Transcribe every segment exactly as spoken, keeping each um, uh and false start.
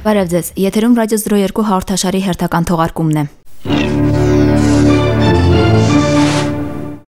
Բարև ձեզ, եթերում ռադիո զրո երկու հաղորդաշարի հերթական թողարկումն է։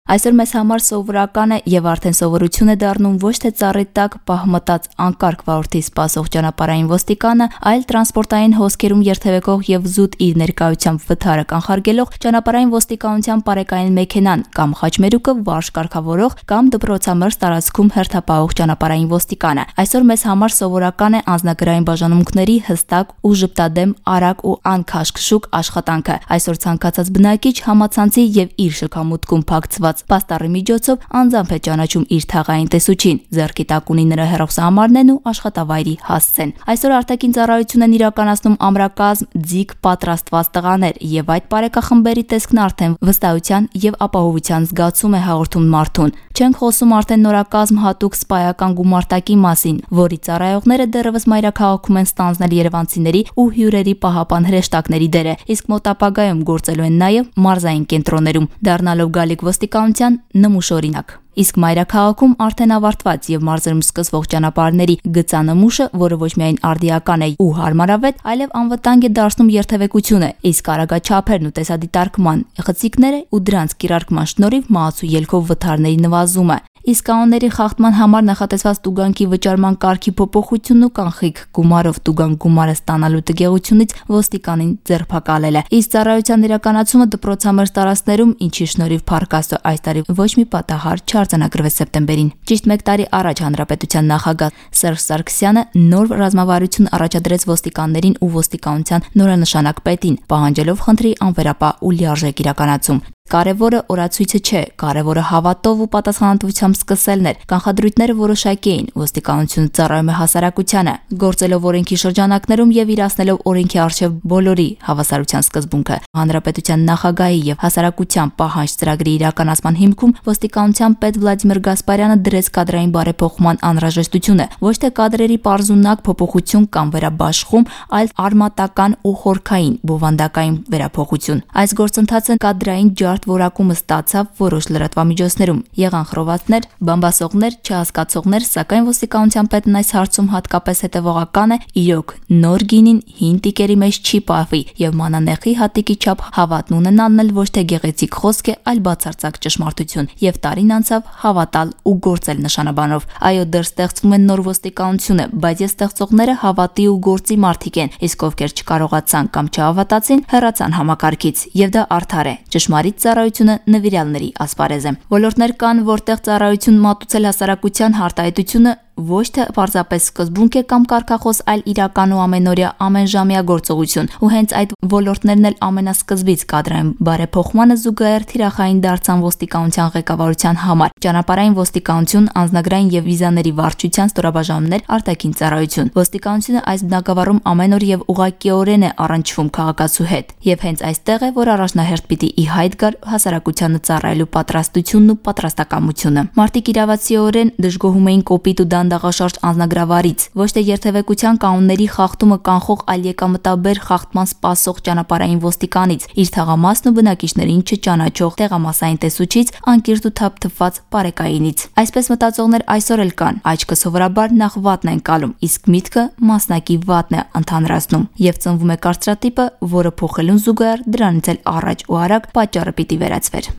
Այսօր մեզ համար սովորական է եւ արդեն սովորություն է դառնում ոչ թե ծառի տակ պահմտած անկարգ վարորդի սպասող ճանապարհային ոստիկանը, այլ տրանսպորտային հոսքերում երթևեկող եւ զուտ իր ներկայությամբ վթարը կանխարգելող ճանապարհային ոստիկանության պարեկային մեքենան կամ խաչմերուկը վարժ կարգավորող կամ դպրոցամերձ տարածքում հերթապահող ճանապարհային ոստիկանը։ Այսօր մեզ համար սովորական է անձնագրային բաժանմունքների հստակ ու ժպտադեմ, արագ ու անքաշքշուկ աշխատանքը։ Այսօր ցանկացած բնակիչ համացանցի եւ իր շքամուտքում փակցված պաստառի միջոցով անձամբ է ճանաչում իր թաղային տեսուչին, ձեռքի տակ ունի նրա հեռախոսահամարներն ու աշխատավայրի հասցեն։ Այսօր արտաքին ծառայություն են իրականացնում ամրակազմ, ձիգ պատրաստված տղաներ, եւ այդ բարեկախմբերի տեսքն արդեն վստահության եւ ապահովության զգացում է հաղորդում մարդուն։ Չենք խոսում արդեն նորակազմ հատուկ սպայական գումարտակի մասին, որի ծառայողները դեռևս մայրաքաղաքում են ստանձնել երևանցիների ու հյուրերի պահապան հրեշտակների դերը, իսկ մոտ ապագայում գործելու են նաեւ մարզային կենտրոններում, դառնալով գալիք ոստիկանության նմուշ օրինակ։ Իսկ մայրաքաղաքում արդեն ավարտված եւ մարզերում սկսվող ճանապարհների գծանմուշը, որը ոչ միայն արդիական է ու հարմարավետ, այլև անվտանգ է դարձնում երթևեկությունը, իսկ արագաչափերն ու տեսադիտարկման խցիկները ու դրանց կիրարկման շնորհիվ մահացու ելքով վթարների նվազումը։ Իսկ կանոնների խախտման համար նախատեսված տուգանքի վճարման կարգի փոփոխությունն ու կանխիկ գումարով տուգանք գումարը ստանալու տգեղությունից ոստիկանին ձերբակալել է։ Իսկ ծառայության իրականացումը դպրոցամերձ տարածքներում, ինչի շնորհիվ Փառք այս տարի ոչ մի պատահար չարձանագրվեց սեպտեմբերին։ Ճիշտ մեկ տարի առաջ Հանրապետության նախագահ Սերժ Սարգսյանը նոր ռազմավարություն առաջադրեց ոստիկաններին ու ոստիկանության նորանշանակ պետին, պահանջելով խնդրի անվերապահ ու լիարժեք իրականացում։ Կարևորը օրացույցը չէ, կարևորը հավատով ու պատասխանատվությամբ սկսելն էր։ Կանխադրույթները որոշակի էին, ոստիկանությունը ծառայում է հասարակությանը, գործելով օրենքի շրջանակներում եւ իրացնելով օրենքի առջեւ բոլորի հավասարության սկզբունքը։ Հանրապետության նախագահի եւ հասարակության պահանջ ծրագրի իրականացման հիմքում ոստիկանության պետ Վլադիմիր Գասպարյանը դրեց կադրային բարեփոխման անհրաժեշտությունը, ոչ թե կադրերի պարզունակ փոփոխություն կամ վերաբաշխում, այլ արմատական ու խորքային բովանդակային վերափոխություն։ Այս գործընթացը կադրային ջարդ որակումը ստացավ որոշ լրատվամիջոցներում։ Եղան խռովածներ, բամբասողներ, չհասկացողներ, սակայն ոստիկանության պետն այս հարցում հատկապես հետևողական է, իրոք նոր գինին հին տիկերի մեջ չի պահվի եւ մանանեխի հատիկի չափ հավատն ունենալն էլ ոչ թե գեղեցիկ խոսք է, այլ բացարձակ ճշմարտություն։ Եվ տարին անցավ հավատալ ու գործել նշանաբանով։ Այո, դեռ ստեղծվում է նոր ոստիկանությունը, բայց ես ստեղծողները հավատի ու գործի մարդիկ են, իսկ ովքեր չկարողացան կամ չհավատացին, հեռացան համակարգից, եւ դա արդար է։ Ճշմարիտ ծառայությունը նվիրյալների ասպարեզ է։ Ոլորտներ կան, որտեղ ծառայություն մատուցել հասարակության հարտահայտությունը ոչ թե պարզապես սկզբունք է կամ կարգախոս, այլ իրական ու ամենօրյա ամենժամյա գործողություն, ու հենց այդ ոլորտներն էլ ամենասկզբից կադրային բարեփոխմանը զուգահեռ թիրախային դարձան ոստիկանության ղեկավարության համար։ Ճանապարհային ոստիկանություն, անձնագրային եւ վիզաների վարչության ստորաբաժանումներ, արտաքին ծառայություն։ Ոստիկանությունը այս բնակավարում ամեն օր եւ ուղղակիորեն է առնչվում քաղաքացու հետ, եւ հենց այստեղ է, որ առաջնահերթ պիտի ի հայտ գար հասարակությանը ծառայելու պատրաստությունն ու պատրաստակամությունը։ Մարդիկ իրավացիորեն դժգոհում էին կոպիտ ու դանդաղաշարժ անձնագրավարից, ոչ թե երթևեկության կանոնների խախտումը կանխող, այլ եկամտաբեր խախտման սպասող ճանապարհային ոստիկանից, իր թաղամասն ու բնակիչներին չճանաչող տեղամասային տեսուչից, անկիրթ ու թափթփված պարեկայինից։ Այսպես մտածողներ այսօր էլ կան, աչքը սովորաբար նախ վատն են կալում, իսկ միտքը մասնակի վատն է ընդհանրացնում, եւ ծնվում է կարծրատիպը, որը փոխելուն զուգահեռ դրանից էլ առաջ ու արագ պատճառը պիտի վերացվեր։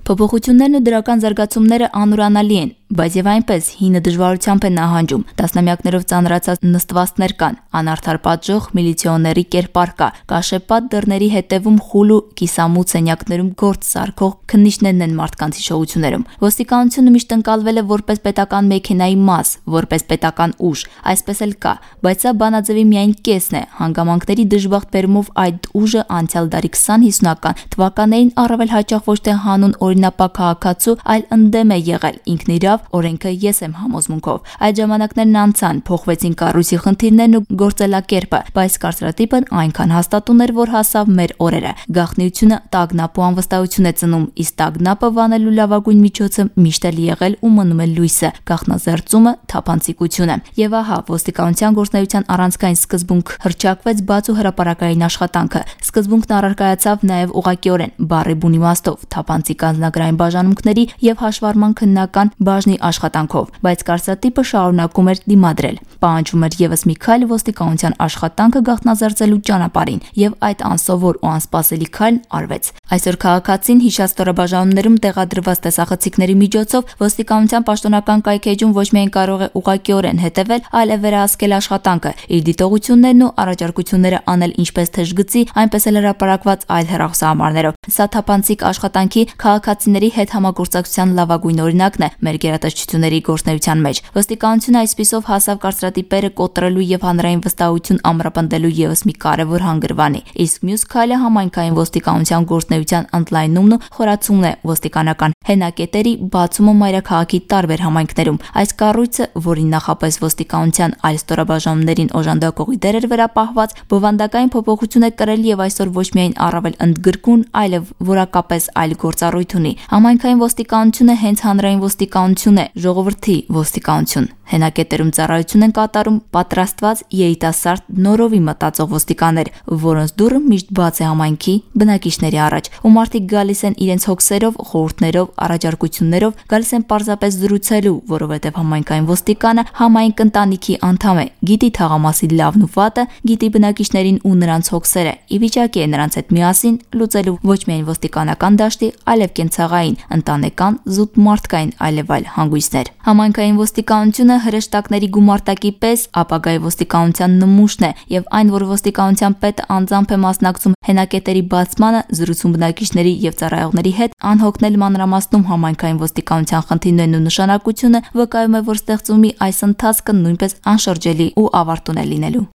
Փոփոխություններն ու դրական զարգացումները անուրանալի են, բայց եւ այնպես հինը դժվարությամբ է նահանջում։ Տասնամյակներով ծանրացած նստվածքներ կան, անարդար պատժող միլիցիոների կերպար կա, կաշեպատ դռների հետևում խուլ ու կիսամութ սենյակներում գործ սարքող քննիչներն են մարդկանց հիշողություններում։ Ոստիկանությունը միշտ ընկալվել է որպես պետական մեքենայի մաս, որպես պետական ուժ, այսպես էլ կա, բայց սա բանաձևի միայն կեսն է։ Հանգամանքների դժբախտ բերումով այդ ուժը անցյալ դարի քսան-հիսունական թվականներին առավել հաճախ ոչ թե հանուն օրինապակ քաղաքացու, այլ ընդդեմ է եղել ինքն իրավ օրենքը ես եմ համոզմունքով։ Այդ ժամանակներն անցան, փոխվեցին կառույցի խնդիրներն ու գործելակերպը, բայց կարծրատիպն այնքան հաստատուն էր, որ հասավ մեր օրերը։ Գաղտնիությունը տագնապ ու անվստահություն է ծնում, իսկ տագնապը վանելու լավագույն միջոցը միշտ էլ եղել ու մնում է լույսը, գաղտնազերծումը, թափանցիկությունը։ Եվ ահա ոստիկանության գործունեության առանցքային սկզբունք հռչակվեց բաց ու հրապարակային աշխատանքը։ Սկզբունքն առարկայացավ նաև ուղղակիորեն բառի բուն իմաստով թափանցիկ անձնագրային բաժանմունքների եւ հաշվառման քննական բաժնի աշխատանքով, բայց կարծրատիպը շարունակում էր դիմադրել։ Պահանջվում էր եւս մի քայլ ոստիկանության աշխատանքը գաղտնազերծելու ճանապարհին, եւ այդ անսովոր ու անսպասելի քայլն արվեց։ Այսօր քաղաքացին հիշած ստորաբաժանումներում տեղադրված տեսախցիկների միջոցով ոստիկանության պաշտոնական կայքեջում ոչ միայն կարող է ուղղակիորեն հետևել, այլև վերահսկել աշխատանքը, իր դիտողություններն ու առաջարկությունները անել ինչպես թեժգծի, այնպես էլ հրապարակված այլ հեռախոսահամարներով։ Սա թափանցիկ աշխատանքի քաղաքացիների հետ համագործակցության լավագույն օրինակն է մեր գերատեսչությունների գործունեության մեջ։ Ոստիկանությունը այսպիսով հասավ կարծրատիպերը կոտրելու եւ հանրային վստահություն ամրապնդելու եւս մի կարեւոր հանգրվանի։ Իսկ մյուս քայլը համայնքային ոստիկանության գործունեության ընդլայնումն ու խորացումն է ոստիկանական հենակետերի բացումը մայրաքաղաքի տարբեր համայնքներում։ Այս կառույցը, որին նախապես ոստիկանության այլ ստորաբաժանումներին օժանդակողի դեր էր վերապահված, բովանդակային փոփոխություն է կրել եւ այսօր ոչ միայն առավել ընդգրկուն, այլև որակապես այլ գործառույթ ունի։ Համայնքային ոստիկանությունը հենց հանրային ոստիկանություն է, ժողովրդի ոստիկանություն։ Հենակետերում ծառայություն են կատարում պատրաստված երիտասարդ նորովի մտածող ոստիկաններ, որոնց դուռը միշտ բաց է համայնքի բնակիչների առաջ, ու մարդիկ գալիս են իրենց հոգսերով, խորհուրդներով, առաջարկություններով, գալիս են պարզապես զրուցելու, որովհետև համայնքային ոստիկանը համայնք ընտանիքի անդամ է, գիտի թաղամասի լավն ու վատը, գիտի բնակիչներին ու նրանց հոգսերը, ի վիճակի է նրանց հետ միասին լուծելու ոչ միայն ոստիկանական դաշտի, այլև կենցաղային, ընտանեկան, զուտ մարդկային այլև այլ հանգույցներ։ Համայնքային ոստիկանությունը հրեշտակների գումարտակի պես ապագայի ոստիկանության նմուշն է եւ այն, որ ոստիկանության պետը անձամբ է մասնակցում հենակետերի բացմանը, զրուցում բնակիչների եւ ծառայողների հետ, անհոգնել մանրամասնում համայնքային ոստիկանության խնդիրներն ու նշանակությունը, վկայում է, որ ստեղծումի այս ընթացքը նույնպես անշրջելի ու ավարտուն է լինելու։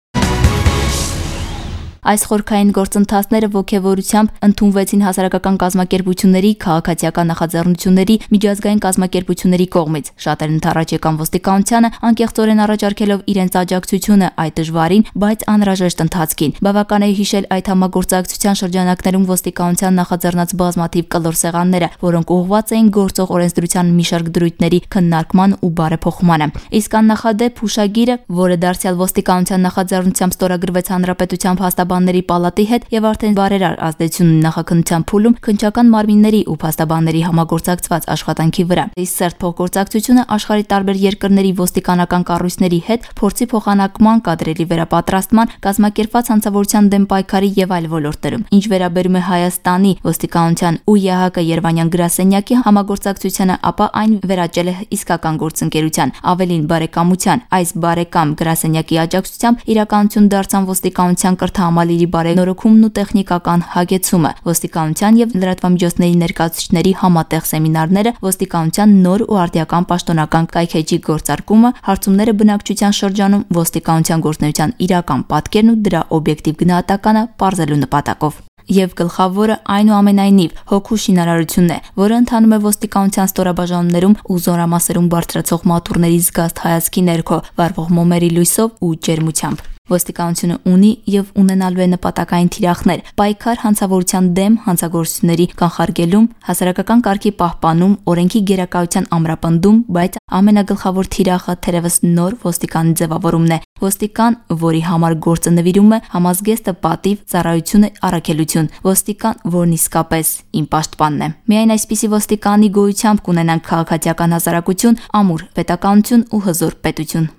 Այս խորքային գործընթացները ոգևորությամբ ընդունվեցին հասարակական կազմակերպությունների, քաղաքացիական նախաձեռնությունների, միջազգային կազմակերպությունների կողմից։ Շատերն ընդառաջ եկան ոստիկանությանը, անկեղծորեն առաջարկելով իրենց աջակցությունը այդ դժվարին, բայց անհրաժեշտ ընթացքին։ Բավական է հիշել այդ համագործակցության շրջանակներում ոստիկանության նախաձեռնած բազմաթիվ կլոր սեղանները, որոնք ուղղված էին գործող օրենսդրության մի շարք դրույթների քննարկման ու բարեփոխմանը։ Իսկ աննախադեպ հուշագիրը, որը դարձյալ ոստիկանության նախաձեռնությամբ ստորագրվեց Հանրապետության փաստաբանների պալատի հետ եւ արդեն բարերար ազդեցություն ունի նախաքննության փուլում քննչական մարմինների ու փաստաբանների համագործակցված աշխատանքի վրա։ Իսկ սերտ փոխգործակցությունը աշխարհի տարբեր երկրների ոստիկանական կառույցների հետ փորձի փոխանակման, կադրերի վերապատրաստման, կազմակերպված հանցավորության դեմ պայքարի եւ այլ ոլորտներում։ Ինչ վերաբերում է Հայաստանի ոստիկանության ու ԵՀԿ Երևանյան գրասենյակի համագործակցությանը, ապա այն վերաճել է իսկական գործընկերության, ավելին բարեկամության։ Այս բարեկամ գրասենյակի աջակցությամբ իրականություն դարձան ոստիկանության կրթահամալիրի բարենորոգումն ու տեխնիկական հագեցումը, ոստիկանության եւ լրատվամիջոցների ներկայացուցիչների համատեղ սեմինարները, ոստիկանության նոր ու արդիական պաշտոնական կայքեջի գործարկումը, հարցումները բնակչության շրջանում, ոստիկանության գործունեության իրական պատկերն ու դրա օբյեկտիվ գնահատականը պարզելու նպատակով։ Եվ գլխավորը այնուամենայնիվ հոգու շինարարությունն է, որը ընթանում է ոստիկանության ստորաբաժանումներում ու զորամասերում բարձրացող մատուռների զգաստ հայացքի ներքո, վառվող մոմերի լույսով ու ջերմությամբ։ Ոստիկանությունը ունի եւ ունենալու է նպատակային թիրախներ՝ պայքար հանցավորության դեմ, հանցագործությունների կանխարգելում, հասարակական կարգի պահպանում, օրենքի գերակայության ամրապնդում, բայց ամենագլխավոր թիրախը թերևս նոր ոստիկանի ձևավորումն է։ Ոստիկան, որի համար գործը նվիրում է համազգեստը պատիվ, ծառայությունը առաքելություն, ոստիկան, որն իսկապես իմ պաշտպանն է։ Միայն այսպիսի ոստիկանի գոյությամբ կունենանք քաղաքացիական հասարակություն, ամուր պետականություն ու հզոր պետություն։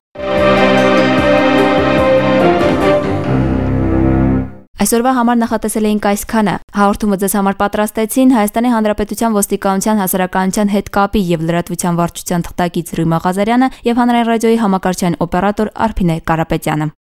Այսօրվա համար նախատեսել էինք այսքանը։ Հաղորդումը ձեզ համար պատրաստեցին Հայաստանի Հանրապետության ոստիկանության հասարակայնության հետ կապի եւ լրատվության վարչության թղթակից Ռույմա Ղազարյանը եւ Հանրային ռադիոյի համակարգչային օպերատոր Արփինե Կարապետյանը։